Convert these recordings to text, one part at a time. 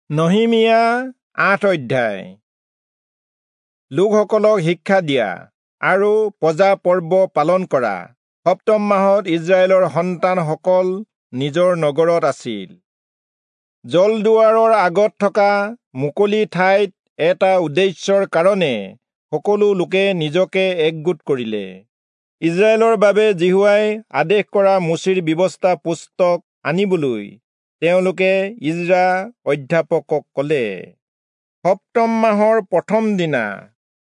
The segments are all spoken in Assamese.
নহিমিয়া ৮ অধ্যায়। লোকসকলক শিক্ষা দিয়া আৰু পজা পৰ্ব পালন কৰা। সপ্তম মাহত ইজৰাইলৰ সন্তানসকল নিজৰ নগৰত আছিল। জলদুৱাৰৰ আগত থকা মুকলি ঠাইত এটা উদ্দেশ্যৰ কাৰণে সকলো লোকে নিজকে একগোট কৰিলে। ইজৰাইলৰ বাবে যিহোৱাই আদেশ কৰা মোচিৰ ব্যৱস্থা পুস্তক আনিবলৈ তেওঁলোকে ইজ্ৰা অধ্যাপকক ক'লে। সপ্তম মাহৰ প্ৰথম দিনা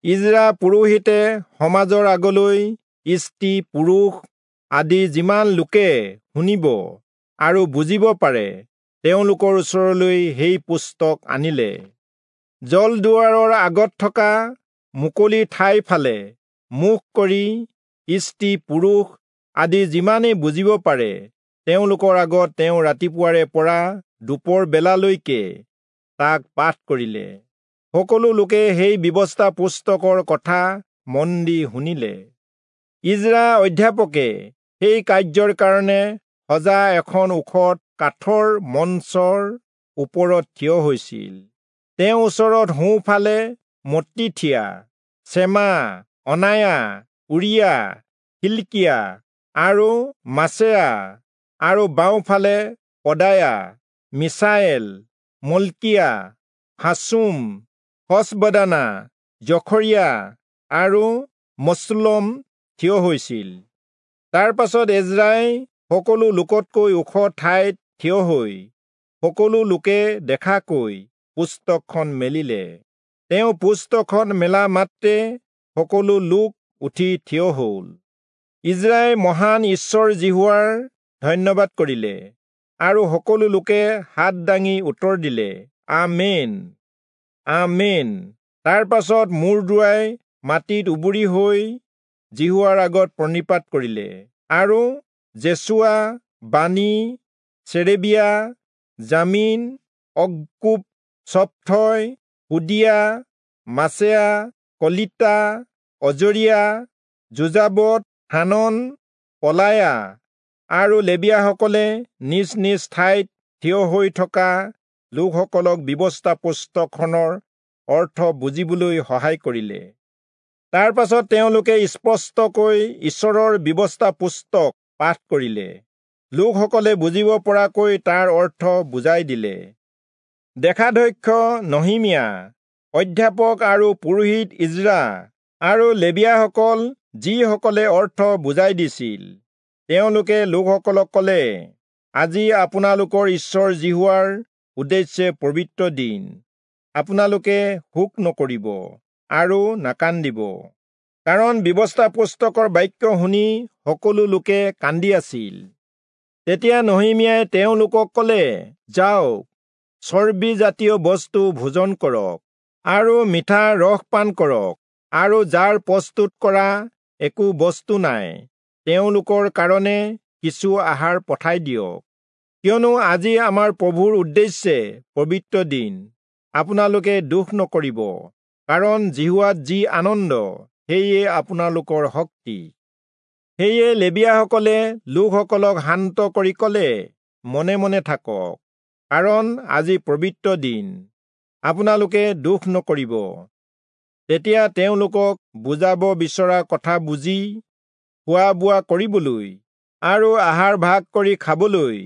ইজ্ৰা পুৰোহিতে সমাজৰ আগলৈ স্ত্ৰী পুৰুষ আদি যিমান লোকে শুনিব আৰু বুজিব পাৰে তেওঁলোকৰ ওচৰলৈ সেই পুস্তক আনিলে। জলদুৱাৰৰ আগত থকা মুকলি ঠাই ফালে মুখ কৰি স্ত্ৰী পুৰুষ আদি যিমানেই বুজিব পাৰে তেওঁলোকৰ আগত তেওঁ ৰাতিপুৱাৰে পৰা দুপৰ বেলালৈকে তাক পাঠ কৰিলে। সকলো লোকে সেই ব্যৱস্থা পুস্তকৰ কথা মন দি শুনিলে। ইজ্ৰা অধ্যাপকে সেই কাৰ্যৰ কাৰণে সজা এখন ওখ কাঠৰ মঞ্চৰ ওপৰত থিয় হৈছিল। তেওঁৰ ওচৰত সোঁফালে মত্তিথিয়া, চেমা, অনায়া, উৰিয়া, হিলকিয়া আৰু মাচেয়া আৰু বাওঁফালে পদায়া, মিছায়েল, মল্কিয়া, হাচুম, হচবদানা, জখৰিয়া আৰু মচুল্লম থিয় হৈছিল। তাৰ পাছত এজ্ৰাই সকলো লোকতকৈ ওখ ঠাইত থিয় হৈ সকলো লোকে দেখাকৈ পুস্তকখন মেলিলে। তেওঁ পুস্তকখন মেলা মাত্ৰে সকলো লোক উঠি থিয় হ'ল। ইজ্ৰাই মহান ঈশ্বৰ যিহোৱাৰ ধন্যবাদ কৰিলে আৰু সকলো লোকে হাত দাঙি উত্তৰ দিলে, আমেন, আমেন। তাৰ পাছত মূৰ দোৱাই মাটিত উবুৰি হৈ যিহোৱাৰ আগত প্ৰণিপাত কৰিলে আৰু জেচুৱা, বানী, চেৰেবিয়া, জামিন, অক্কুব, চপ্থয়, হোদিয়া, মাচেয়া, কলিতা, অজৰিয়া, যোজাবদ, হানন, পলায়া আৰু লেবীয়াসকলে নিজ নিজ ঠাইত থিয় হৈ থকা লোকসকলক ব্যৱস্থা পুস্তকখনৰ অৰ্থ বুজিবলৈ সহায় কৰিলে। তাৰ পাছত তেওঁলোকে স্পষ্টকৈ ঈশ্বৰৰ ব্যৱস্থা পুস্তক পাঠ কৰিলে। লোকসকলে বুজিব পৰাকৈ তাৰ অৰ্থ বুজাই দিলে। দেশাধ্যক্ষ নহিমিয়া, অধ্যাপক আৰু পুৰোহিত ইজ্ৰা আৰু লেবীয়াসকল যিসকলে অৰ্থ বুজাই দিছিল, তেওঁলোকে লোকসকলক ক'লে, আজি আপোনালোকৰ ঈশ্বৰ যিহোৱাৰ উদ্দেশ্যে পবিত্ৰ দিন। আপোনালোকে শোক নকৰিব আৰু নাকান্দিব। কাৰণ ব্যৱস্থা পুস্তকৰ বাক্য শুনি সকলো লোকে কান্দি আছিল। তেতিয়া নহিমিয়াই তেওঁলোকক ক'লে, যাওক, চৰ্বিজাতীয় বস্তু ভোজন কৰক আৰু মিঠা ৰস পান কৰক, আৰু যাৰ প্ৰস্তুত কৰা একো বস্তু নাই তেওঁলোকৰ কাৰণে কিছু আহাৰ পঠাই দিয়ক। কিয়নো আজি আমাৰ প্ৰভুৰ উদ্দেশ্যে পবিত্ৰ দিন। আপোনালোকে দুখ নকৰিব, কাৰণ যিহোৱাত যি আনন্দ সেয়ে আপোনালোকৰ শক্তি। সেয়ে লেবীয়াসকলে লোকসকলক শান্ত কৰি ক'লে, মনে মনে থাকক, কাৰণ আজি পবিত্ৰ দিন, আপোনালোকে দুখ নকৰিব। তেতিয়া তেওঁলোকক বুজাব বিচৰা কথা বুজি খোৱা বোৱা কৰিবলৈ আৰু আহাৰ ভাগ কৰি খাবলৈ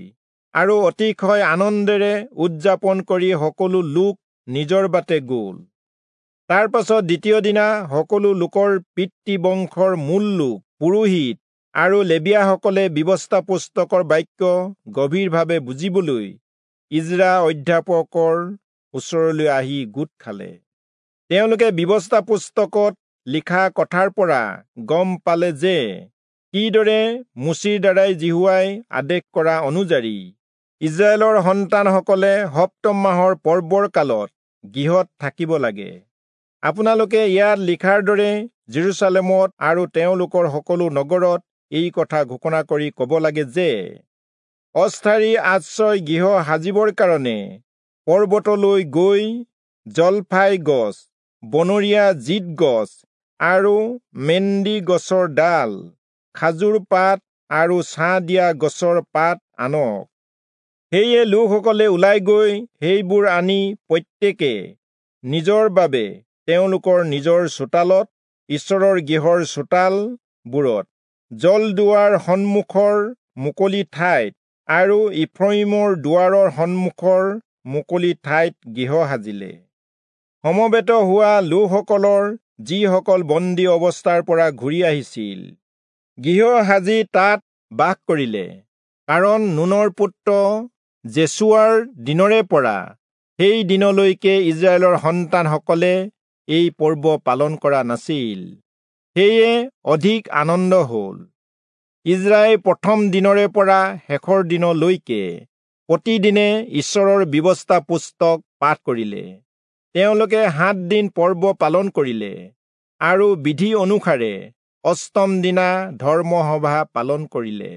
আৰু অতিশয় আনন্দেৰে উদযাপন কৰি সকলো লোক নিজৰ বাটে গ'ল। তাৰ পাছত দ্বিতীয় দিনা সকলো লোকৰ পিতৃবংশৰ মূল লোক, পুৰোহিত আৰু লেবীয়াসকলে ব্যৱস্থা পুস্তকৰ বাক্য গভীৰভাৱে বুজিবলৈ ইজ্ৰা অধ্যাপকৰ ওচৰলৈ আহি গোট খালে। তেওঁলোকে ব্যৱস্থা পুস্তকত লিখা কথাৰ পৰা গম পালে যে কিদৰে মোচিৰ দ্বাৰাই যিহোৱাই আদেশ কৰা অনুযায়ী ইজৰাইলৰ সন্তানসকলে সপ্তম মাহৰ পৰ্বৰ কালত গৃহত থাকিব লাগে। আপোনালোকে ইয়াত লিখাৰ দৰে জেৰুচালেমত আৰু তেওঁলোকৰ সকলো নগৰত এই কথা ঘোষণা কৰি ক'ব লাগে যে অস্থায়ী আশ্ৰয় গৃহ সাজিবৰ কাৰণে পৰ্বতলৈ গৈ জলফাই গছ, বনৰীয়া জিত গছ আৰু মেন্দি গছৰ ডাল, খাজুৰ পাত আৰু ছাঁ দিয়া গছৰ পাত আনক। সেয়ে লোকসকলে ওলাই গৈ সেইবোৰ আনি প্ৰত্যেকে নিজৰ বাবে তেওঁলোকৰ নিজৰ চোতালত, ঈশ্বৰৰ গৃহৰ চোতালবোৰত, জলদুৱাৰ সন্মুখৰ মুকলি ঠাইত আৰু ইফ্ৰয়িমৰ দুৱাৰৰ সন্মুখৰ মুকলি ঠাইত গৃহ সাজিলে। সমবেত হোৱা লোকসকলৰ যিসকল বন্দী অৱস্থাৰ পৰা ঘূৰি আহিছিল, গৃহ সাজি তাত বাস কৰিলে, কাৰণ নুনৰ পুত্ৰ যেচুৱাৰ দিনৰে পৰা সেই দিনলৈকে ইস্ৰায়েলৰ সন্তানসকলে এই পৰ্ব পালন কৰা নাছিল। সেয়ে অধিক আনন্দ হ'ল। ইস্ৰায়েল প্ৰথম দিনৰে পৰা শেষৰ দিনলৈকে প্ৰতিদিনে ঈশ্বৰৰ ব্যৱস্থা পুস্তক পাঠ কৰিলে। তেওঁলোকে 7 দিন পৰ্ব পালন কৰিলে আৰু বিধি অনুসাৰে অষ্টম দিনা ধৰ্মসভা পালন কৰিলে।